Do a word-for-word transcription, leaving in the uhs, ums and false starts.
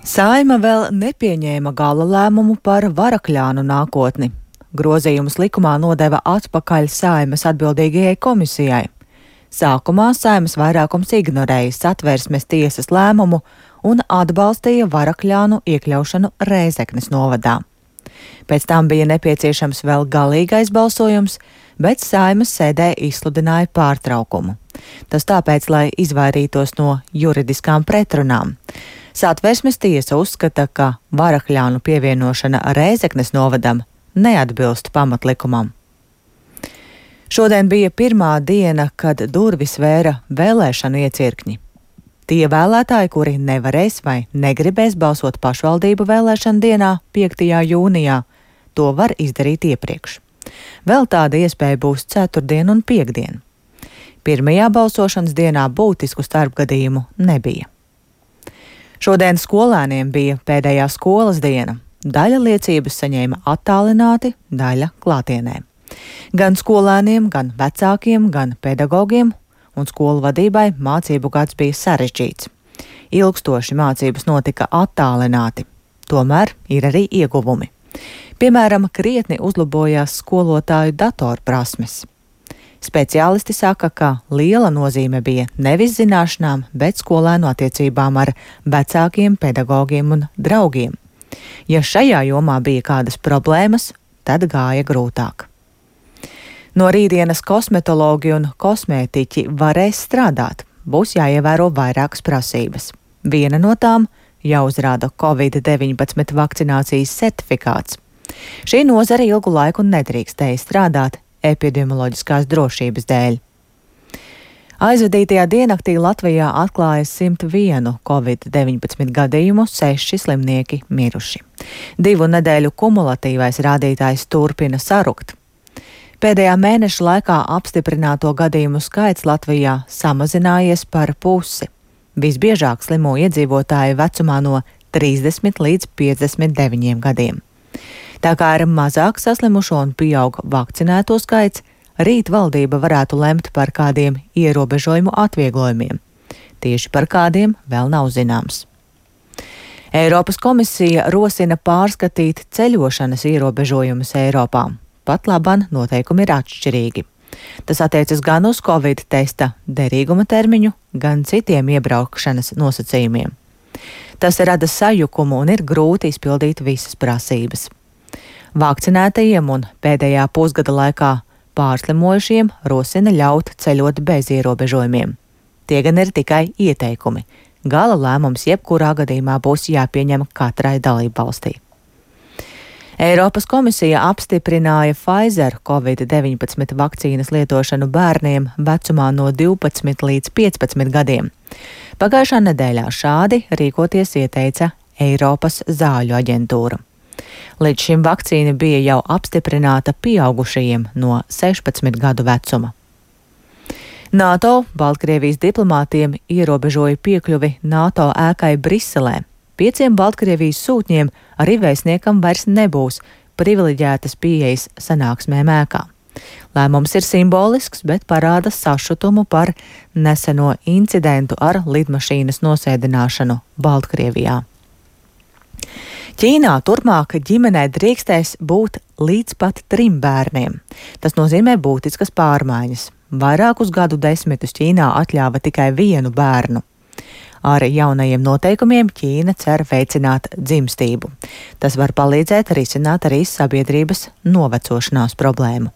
Saeima vēl nepieņēma gala lēmumu par Varakļānu nākotni. Grozījumus likumā nodeva atpakaļ Saeimas atbildīgajai komisijai. Sākumā Saeimas vairākums ignorēja Satversmes tiesas lēmumu un atbalstīja Varakļānu iekļaušanu Rēzeknes novadā. Pēc tam bija nepieciešams vēl galīgais balsojums, bet Saeimas sēdē izsludināja pārtraukumu. Tas tāpēc, lai izvairītos no juridiskām pretrunām. Satversmes tiesa uzskata, ka Varakļānu pievienošana Rēzeknes novadam neatbilst pamatlikumam. Šodien bija pirmā diena, kad durvis vēra vēlēšanu iecirkņi. Tie vēlētāji, kuri nevarēs vai negribēs balsot pašvaldību vēlēšanu dienā, piektajā jūnijā, to var izdarīt iepriekš. Vēl tāda iespēja būs ceturtdien un piektdien. Pirmajā balsošanas dienā būtisku starpgadījumu nebija. Šodien skolēniem bija pēdējā skolas diena. Daļa liecības saņēma attālināti, daļa klātienē. Gan skolēniem, gan vecākiem, gan pedagogiem un skolu vadībai mācību gads bija sarežģīts. Ilgstoši mācības notika attālināti, tomēr ir arī ieguvumi. Piemēram, krietni uzlabojās skolotāju datorprasmes. Speciālisti saka, ka liela nozīme bija nevis zināšanām, bet skolēnu attiecībām ar vecākiem, pedagogiem un draugiem. Ja šajā jomā bija kādas problēmas, tad gāja grūtāk. No rītdienas kosmetologi un kosmētiķi varēs strādāt, būs jāievēro vairākas prasības. Viena no tām - jāuzrāda covid deviņpadsmit vakcinācijas certifikāts. Šī nozare ilgu laiku nedrīkstēja strādāt epidemioloģiskās drošības dēļ. Aizvadītajā diennaktī Latvijā atklāja simt vienu covid deviņpadsmit gadījumu, seši slimnieki miruši. Divu nedēļu kumulatīvais rādītājs turpina sarukt. Pēdējā mēneša laikā apstiprināto gadījumu skaits Latvijā samazinājies par pusi. Visbiežāk slimo iedzīvotāji vecumā no trīsdesmit līdz piecdesmit deviņiem gadiem. Tā kā ir mazāk saslimušo un pieaug vakcinēto skaits, rīt valdība varētu lemt par kādiem ierobežojumu atvieglojumiem. Tieši par kādiem vēl nav zināms. Eiropas komisija rosina pārskatīt ceļošanas ierobežojumus Eiropā. Pat laban noteikumi ir atšķirīgi. Tas attiecas gan uz Covid testa derīguma termiņu, gan citiem iebraukšanas nosacījumiem. Tas rada sajukumu un ir grūti izpildīt visas prasības. Vakcinētajiem un pēdējā pusgada laikā pārslimojušiem rosina ļaut ceļot bez ierobežojumiem. Tie gan ir tikai ieteikumi. Gala lēmums jebkurā gadījumā būs jāpieņem katrai dalībvalstī. Eiropas komisija apstiprināja Pfizer covid deviņpadsmit vakcīnas lietošanu bērniem vecumā no divpadsmit līdz piecpadsmit gadiem. Pagājušā nedēļā šādi rīkoties ieteica Eiropas zāļu aģentūra. Līdz šim vakcīna bija jau apstiprināta pieaugušajiem no sešpadsmit gadu vecuma. NATO Baltkrievijas diplomātiem ierobežoja piekļuvi NATO ēkai Briselē. Pieciem Baltkrievijas sūtņiem arī vēstniekam vairs nebūs privileģētas pieejas sanāksmēm ēkā. Lēmums ir simbolisks, bet parāda sašutumu par neseno incidentu ar lidmašīnas nosēdināšanu Baltkrievijā. Ķīnā turpmāk ģimenē drīkstēs būt līdz pat trim bērniem. Tas nozīmē būtiskas pārmaiņas. Vairākus gadu desmitus Ķīnā atļāva tikai vienu bērnu. Ar jaunajiem noteikumiem Ķīna cer veicināt dzimstību. Tas var palīdzēt risināt arī sabiedrības novecošanās problēmu.